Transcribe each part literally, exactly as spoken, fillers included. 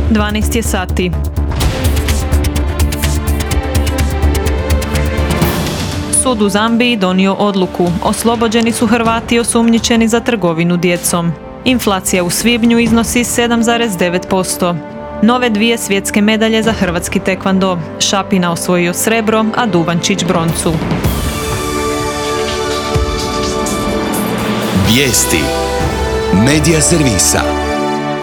dvanaest je sati. Sud u Zambiji donio odluku. Oslobođeni su Hrvati osumnjičeni za trgovinu djecom. Inflacija u svibnju iznosi sedam zarez devet posto. Nove dvije svjetske medalje za hrvatski tekvando. Šapina osvojio srebro, a Duvančić broncu. Vijesti Medija servisa.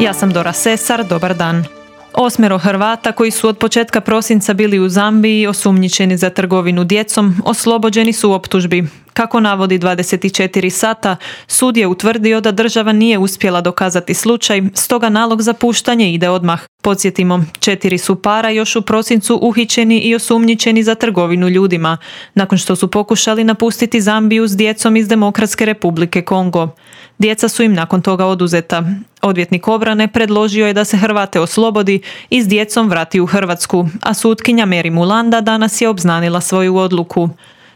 Ja sam Dora Sesar, dobar dan. Osmero Hrvata koji su od početka prosinca bili u Zambiji osumnjičeni za trgovinu djecom oslobođeni su optužbi. Kako navodi dvadeset četiri sata, sud je utvrdio da država nije uspjela dokazati slučaj, stoga nalog za puštanje ide odmah. Podsjetimo, četiri su para još u prosincu uhićeni i osumnjičeni za trgovinu ljudima, nakon što su pokušali napustiti Zambiju s djecom iz Demokratske republike Kongo. Djeca su im nakon toga oduzeta. Odvjetnik obrane predložio je da se Hrvate oslobodi i s djecom vrati u Hrvatsku, a sutkinja Meri Mulanda danas je obznanila svoju odluku.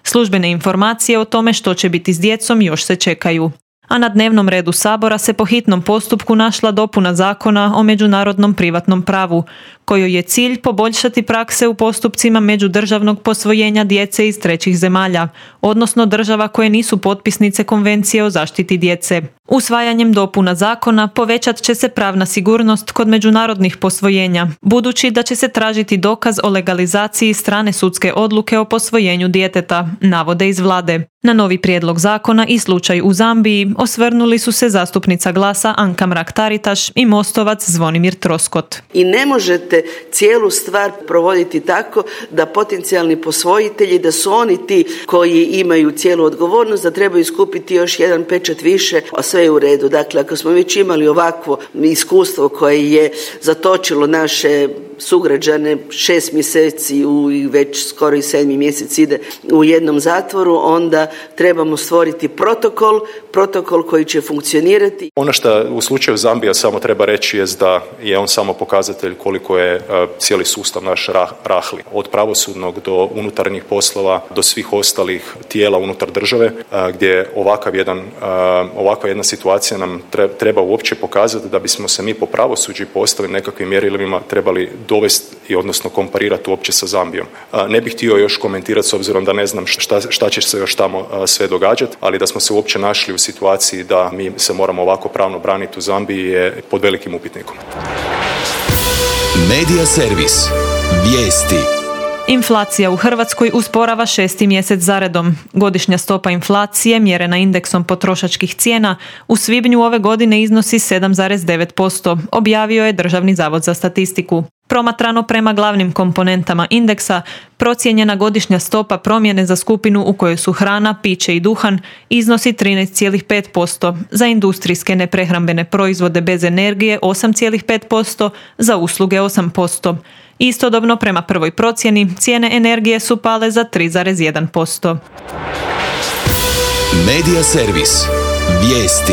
Službene informacije o tome što će biti s djecom još se čekaju. A na dnevnom redu Sabora se po hitnom postupku našla dopuna zakona o međunarodnom privatnom pravu, kojoj je cilj poboljšati prakse u postupcima međudržavnog posvojenja djece iz trećih zemalja, odnosno država koje nisu potpisnice Konvencije o zaštiti djece. Usvajanjem dopuna zakona povećat će se pravna sigurnost kod međunarodnih posvojenja, budući da će se tražiti dokaz o legalizaciji strane sudske odluke o posvojenju djeteta, navode iz vlade. Na novi prijedlog zakona i slučaj u Zambiji osvrnuli su se zastupnica Glasa Anka Mrak-Taritaš i Mostovac Zvonimir Troskot. I ne možete cijelu stvar provoditi tako da potencijalni posvojitelji, da su oni ti koji imaju cijelu odgovornost, da trebaju skupiti još jedan pečat više, a sve je u redu. Dakle, ako smo već imali ovakvo iskustvo koje je zatočilo naše sugrađane šest mjeseci u, i već skoro i sedmi mjesec ide u jednom zatvoru, onda trebamo stvoriti protokol, protokol koji će funkcionirati. Ono što u slučaju Zambija samo treba reći je da je on samo pokazatelj koliko je uh, cijeli sustav naš rah, rahli. Od pravosudnog do unutarnjih poslova, do svih ostalih tijela unutar države, uh, gdje ovakav jedan, uh, ovakva jedna situacija nam treba uopće pokazati da bismo se mi po pravosuđu postavili nekakvim mjerilima trebali dovesti i odnosno komparirati uopće sa Zambijom. Ne bih htio još komentirati s obzirom da ne znam šta, šta će se još tamo sve događati, ali da smo se uopće našli u situaciji da mi se moramo ovako pravno braniti u Zambiji je pod velikim upitnikom. Medija servis. Vijesti. Inflacija u Hrvatskoj usporava šesti mjesec zaredom. Godišnja stopa inflacije, mjerena indeksom potrošačkih cijena, u svibnju ove godine iznosi sedam zarez devet posto, objavio je Državni zavod za statistiku. Promatrano prema glavnim komponentama indeksa, procijenjena godišnja stopa promjene za skupinu u kojoj su hrana, piće i duhan iznosi trinaest zarez pet posto, za industrijske neprehrambene proizvode bez energije osam zarez pet posto, za usluge osam posto. Istodobno, prema prvoj procjeni, cijene energije su pale za tri zarez jedan posto. Medija servis. Vijesti.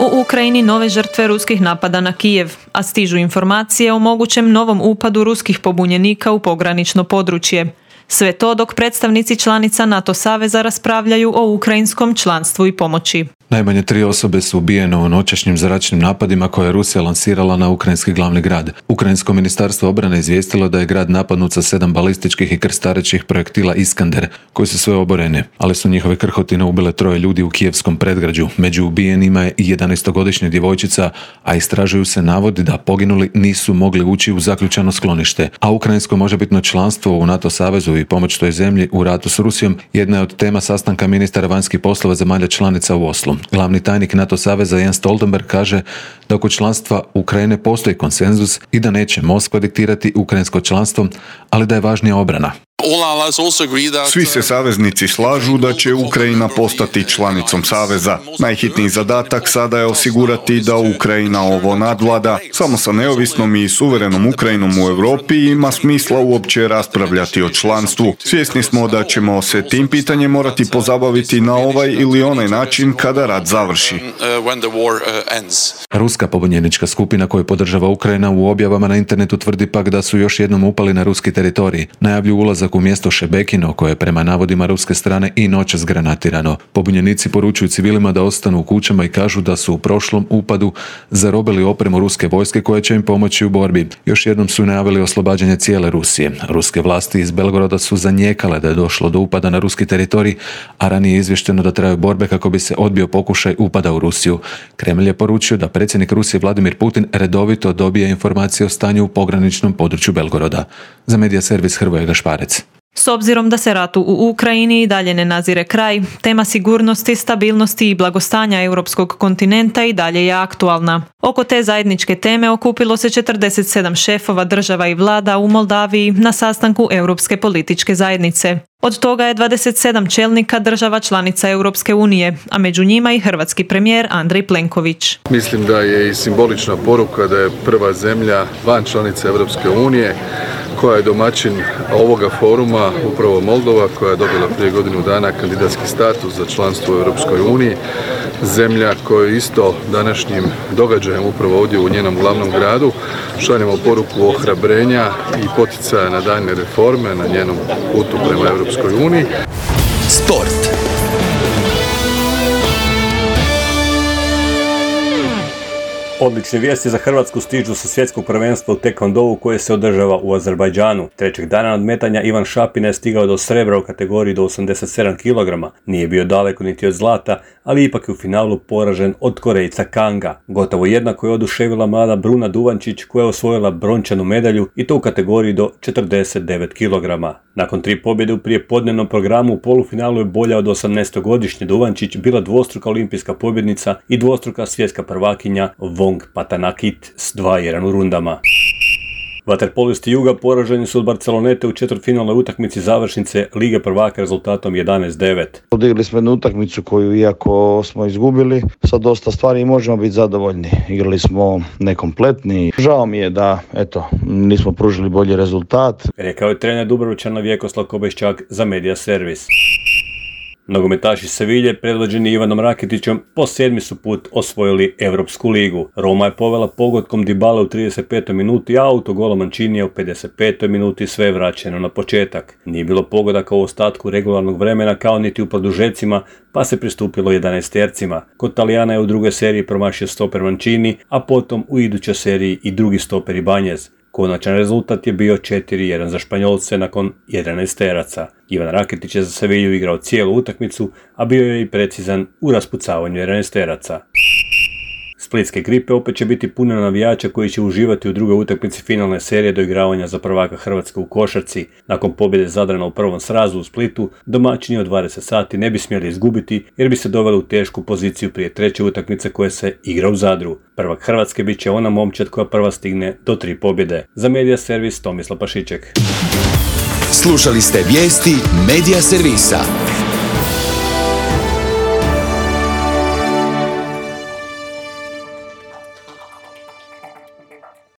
U Ukrajini nove žrtve ruskih napada na Kijev, a stižu informacije o mogućem novom upadu ruskih pobunjenika u pogranično područje. Sve to dok predstavnici članica NATO saveza raspravljaju o ukrajinskom članstvu i pomoći. Najmanje tri osobe su ubijene u noćašnjim zračnim napadima koje je Rusija lansirala na ukrajinski glavni grad. Ukrajinsko ministarstvo obrane izvijestilo da je grad napadnut sa sedam balističkih i krstarećih projektila Iskander, koji su sve oborene, ali su njihove krhotine ubile troje ljudi u kijevskom predgrađu. Među ubijenima je i jedanaestogodišnja djevojčica, a istražuju se navodi da poginuli nisu mogli ući u zaključano sklonište. A ukrajinsko možebitno članstvo u NATO savezu i pomoć toj zemlji u ratu s Rusijom jedna je od tema sastanka ministara vanjskih poslova zemalja članica u Oslu. Glavni tajnik NATO saveza Jens Stoltenberg kaže da oko članstva Ukrajine postoji konsenzus i da neće Moskva diktirati ukrajinsko članstvo, ali da je važnija obrana. Svi se saveznici slažu da će Ukrajina postati članicom saveza. Najhitniji zadatak sada je osigurati da Ukrajina ovo nadvlada. Samo sa neovisnom i suverenom Ukrajinom u Europi ima smisla uopće raspravljati o članstvu. Svjesni smo da ćemo se tim pitanjem morati pozabaviti na ovaj ili onaj način kada rat završi. Ruska pobunjenička skupina koju podržava Ukrajina u objavama na internetu tvrdi pak da su još jednom upali na ruski teritorij. Najavlju ulazak dolazak u mjesto Šebekino, koje je prema navodima ruske strane i noćas granatirano. Pobunjenici poručuju civilima da ostanu u kućama i kažu da su u prošlom upadu zarobili opremu ruske vojske koja će im pomoći u borbi. Još jednom su najavili oslobađanje cijele Rusije. Ruske vlasti iz Belgoroda su zanijekale da je došlo do upada na ruski teritorij, a ranije je izvješteno da traju borbe kako bi se odbio pokušaj upada u Rusiju. Kremlj je poručio da predsjednik Rusije Vladimir Putin redovito dobije informacije o stanju u pograničnom području Belgoroda. Za medija servis Hrvoje Gašparec. S obzirom da se ratu u Ukrajini i dalje ne nazire kraj, tema sigurnosti, stabilnosti i blagostanja europskog kontinenta i dalje je aktualna. Oko te zajedničke teme okupilo se četrdeset sedam šefova država i vlada u Moldaviji na sastanku Europske političke zajednice. Od toga je dvadeset sedam čelnika država članica Europske unije, a među njima i hrvatski premijer Andrej Plenković. Mislim da je i simbolična poruka da je prva zemlja van članica Europske unije koja je domaćin ovoga foruma, upravo Moldova, koja je dobila prije godinu dana kandidatski status za članstvo u Europskoj uniji. Zemlja koja isto današnjim događajem upravo ovdje u njenom glavnom gradu šaljemo poruku ohrabrenja i poticaja na daljnje reforme na njenom putu prema Europskoj uniji. Sport. Odlične vijesti za Hrvatsku stižu sa svjetskog prvenstva u tekvondou koje se održava u Azerbajdžanu. Trećeg dana nadmetanja Ivan Šapina je stigao do srebra u kategoriji do osamdeset sedam kilograma. Nije bio daleko niti od zlata, ali ipak je u finalu poražen od Korejca Kanga. Gotovo jednako je oduševila mlada Bruna Duvančić koja je osvojila brončanu medalju i to u kategoriji do četrdeset devet kilograma. Nakon tri pobjede u prijepodnevnom programu u polufinalu je bolja od osamnaestogodišnje Duvančić bila dvostruka olimpijska pobjednica i dvostruka svjetska prvakinja Wong Patanakit s dva jedan u rundama. Vaterpolisti Juga poraženi su od Barcelonete u četvrtfinalnoj utakmici završnice Lige prvaka rezultatom jedanaest devet. Odigli smo jednu utakmicu koju, iako smo izgubili, sa dosta stvari možemo biti zadovoljni. Igrali smo nekompletni. Žao mi je da, eto, nismo pružili bolji rezultat. Rekao je trener Dubrovčana Vjekoslav Kobeščak za Media Servis. Nogometaši Sevilje, predvođeni Ivanom Rakitićem, po sedmi su put osvojili Europsku ligu. Roma je povela pogodkom Dybale u trideset petoj minuti, a autogola Mancinija u pedeset petoj minuti sve je vraćeno na početak. Nije bilo pogodaka u ostatku regularnog vremena kao niti u produžecima, pa se pristupilo jedanaestercima. Kod Talijana je u drugoj seriji promašio stoper Mancini, a potom u idućoj seriji i drugi stoper Ibanez. Konačan rezultat je bio četiri jedan za Španjolce nakon jedanaesteraca. Ivan Rakitić je za Sevilju igrao cijelu utakmicu, a bio je i precizan u raspucavanju jedanaesteraca. Splitske Gripe opet će biti puno navijača koji će uživati u drugoj utakmici finalne serije doigravanja za prvaka Hrvatske u košarci. Nakon pobjede Zadrana u prvom srazu u Splitu, domaćini od dvadeset sati ne bi smjeli izgubiti jer bi se doveli u tešku poziciju prije treće utakmice koje se igra u Zadru. Prvak Hrvatske bit će ona momčad koja prva stigne do tri pobjede. Za Media Servis Tomislav Pašiček. Slušali ste vijesti Media Servisa.